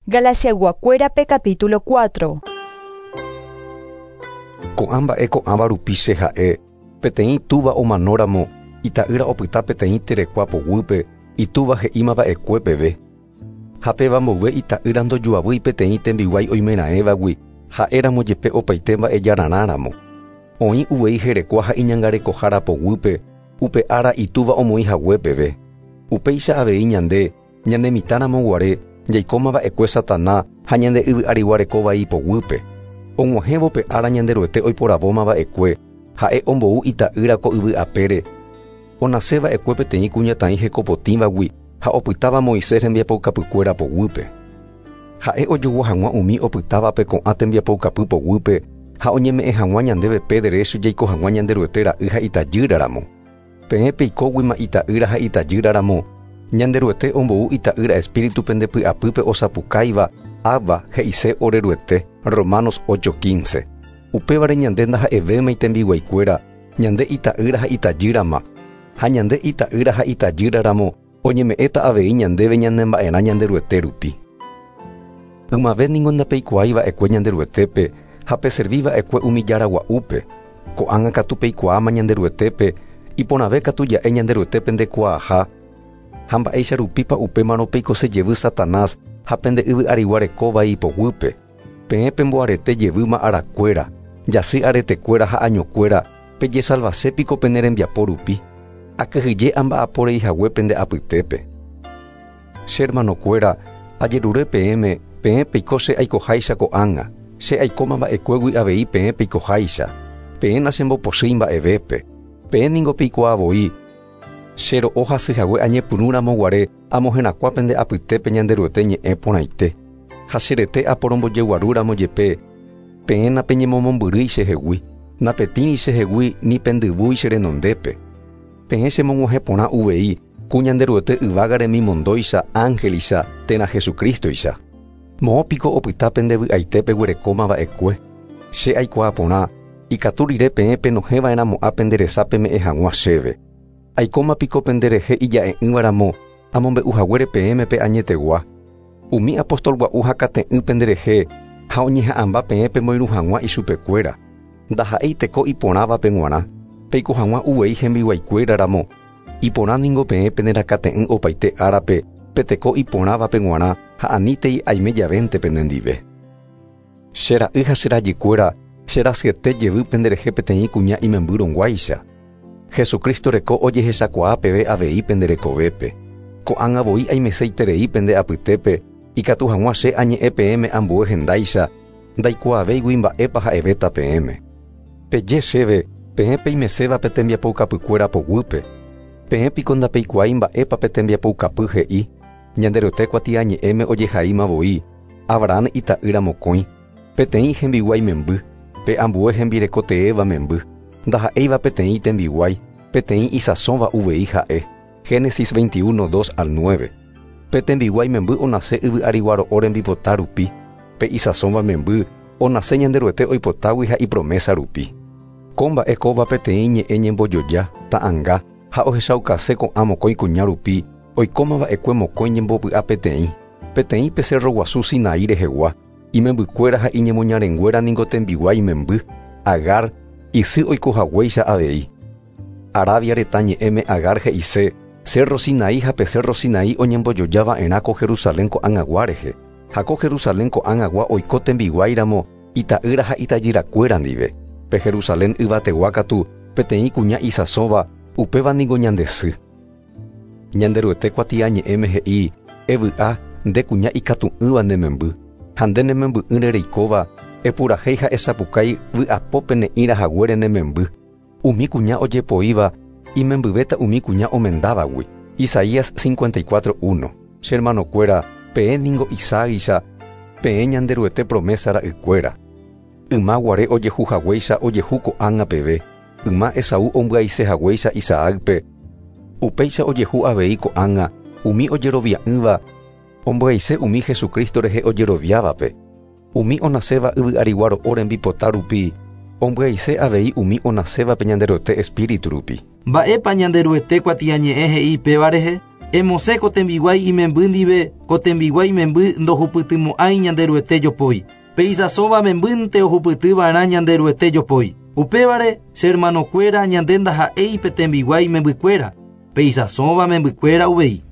Galaciayguakuérape capítulo 4. Ko'ã mba'e ko'ãva rupi che ha'e, peteĩ túva omanóramo, ita'ýra opyta peteĩ terekua poguýpe, itúva he'íma va'ekue peve. Ha péva mboyve ita'ýra ndojuavýi peteĩ tembiguái oimeraẽvagui, ha'éramo jepe opaite mba'ejararã ramo. Oĩ uvei herekua ha iñangarekohára poguýpe, upe ára itúva omoĩ hague peve. Upéicha avei ñande, Ñane mitã ramo guare, jaikóma va'ekue Satana ha ñande yvy arigua reko vai poguýpe. Og̃uahẽvo pe ára Ñanderuete oiporavóma va'ekue, ha'e ombou ita'ýra ko yvy apére, onase va'ekue peteĩ kuñataĩ hekopotĩvagui ha opytáva Moisés rembiapoukapykuéra poguýpe. Ha'e ojogua hag̃ua umi opytávape ko'ã tembiapoukapy poguýpe ha oñeme'ẽ hag̃ua ñandéve pe derécho jaiko hag̃ua Ñanderuete ra'y ha itajýra ramo. Peẽ peikóguima ita'ýra ha itajýra ramo, Ñanderuete ombou Ita'ýra Espíritu pende py'apýpe osapukáiva, Abba, he'ise ore Ruete, Romanos 8:15. Upévare ñande ndaha'evémai tembiguaikuéra, ñande ita'ýra ha itajýrama. Ha ñande ita'ýra ha itajýra ramo, oñeme'ẽta avei ñandéve ñanemba'erã Ñanderuete rupi. Ymave ningo ndapeikuaái va'ekue Ñanderuetépe ha peservi va'ekue umi jára gua'úpe. Ko'ág̃a katu peikuaáma Ñanderuetépe, iporãve katu ja'e Ñanderuete pendekuaaha. Ha mba'éicha rupípa upémarõ peikose jevy Satanás ha pende yvy arigua reko vai ipoguýpe? Peẽ pemboarete jevýma arakuéra, jasy aretekuéra ha añokuéra, pejesalvase piko pene rembiapo rupi? Akyhyje amba'apo rei hague pende apytépe. Che hermanokuéra, ajerure peẽme, peẽ peiko che aikoháicha ko'ág̃a, che aikóma va'ekuégui avei peẽ peikoháicha. Peẽ nachembopochýi mba'evépe. Peẽ ningo peikuaa voi, che ro'o hasy hague añepyrũ ramo guare amoherakuã pende apytépe Ñanderuete ñe'ẽ porãite. Ha che rete aporombojeguaru ramo jepe, peẽ napeñemomombyrýi chehegui, napetĩri chehegui ni pendyvúi che renondépe. Peẽ chemog̃uahẽ porã uvei ku Ñanderuete yvága remimondóicha, ángelicha, térã Jesucrístoicha. Moõ piko opyta pende vy'aite peguerekóma va'ekue? Che aikuaa porã, ikatu rire peẽ penohẽ va'erãmo'ã pende resa peme'ẽ hag̃ua chéve. Aikóma piko pende rehe ija'e'ỹva ramo, amombe'u haguére peẽme pe añetegua? Umi apóstol gua'u hakate'ỹ pende rehe ha oñeha'ãmba peẽ pemoirũ hag̃ua ichupekuéra. Ndaha'éi teko iporãvape g̃uarã, peiko hag̃ua uvei hembiguaikuéra ramo. Iporã ningo peẽ penerakate'ỹ opaite árape pe teko iporãvape g̃uarã ha anítei aime javénte penendive. Che ra'y ha che rajykuéra, che rasyete jevy penderehe peteĩ kuña imembyrõguáicha. Jesucristo reko ojehechakuaa peve avei pende rekovépe. Ko'ág̃a voi aimeseiterei pende apytépe, ikatu hag̃ua che añe'ẽ peẽme ambue hendáicha, ndaikuaavéigui mba'épa ha'evéta peẽme. Peje chéve, peẽ peimeséva pe tembiapoukapykuéra poguýpe. Peẽ piko ndapeikuaái mba'épa pe tembiapoukapy he'i? Ñanderuete kuatiañe'ẽme ojehaíma voi, Abraham ita'ýra mokõi, peteĩ hembiguái memby, pe ambue hembireko teéva memby, ndaha'éiva peteĩ tembiguái, peteĩ isãsóva uvei ha'e. Génesis 21, 2 al 9. Pe tembiguái memby onase yvy arigua ro'o rembipota rupi, pe isãsóva memby onase Ñanderuete oipotágui ha ipromésa rupi. Ko mba'e kóva peteĩ ñe'ẽ ñembojoja, ta'anga, ha ohechaukase ko'ã mokõi kuña rupi oikóma va'ekue mokõi ñembopy'a peteĩ, peteĩ pe cerro guasu Sinaí rehegua, imembykuéra ha iñemoñarenguéra ningo tembiguái memby, Agar, isy oiko haguéicha avei. Arabia retã ñe'ẽme Agar he'ise Cerro Sinaí ha pe Cerro Sinaí oñembojoja va'erã ko Jerusalén ko'ag̃agua rehe, ha ko Jerusalén ko'ag̃agua oiko tembiguái ramo ita'ýra ha itajyrakuéra ndive. Pe Jerusalén yvategua katu peteĩ kuña isãsóva, upéva ningo ñande sy. Ñanderuete kuatiañe'ẽme he'i, Evy'a, nde kuña ikatu'ỹva ne memby, ha nde ne memby'ỹre reikóva, epurahéi ha esapukái vy'apópe ne'ĩra haguére ne memby. Umi kuña ojepoíva imembyvéta umi kuña omendávagui. Isaías 54, 1. Che hermanokuéra, peẽ ningo Isaáicha, peẽ Ñanderuete promésa ra'ykuéra. Yma guare ojehu haguéicha ojehu ko'ág̃a peve, yma Esaú ombyaise haguéicha Isaácpe, upéicha ojehu avei ko'ág̃a umi ojerovia'ỹva ombyaise umi Jesucristo rehe ojeroviávape. Umi onaséva yvy arigua ro'o rembipota rupi ombyaise avei umi onasévape Ñanderuete Espíritu rupi. Mba'épa Ñanderuete kuatiañe'ẽ he'i péva rehe? Emosẽ ko tembiguái imemby ndive, ko tembiguái memby ndohupytymo'ãi Ñanderuete jopói. Pe isãsóva membýnte ohupytyva'erã Ñanderuete jopói. Upévare, che hermanokuéra ñande ndaha'éi pe tembiguái membykuéra, pe isãsóva membykuéra uvei.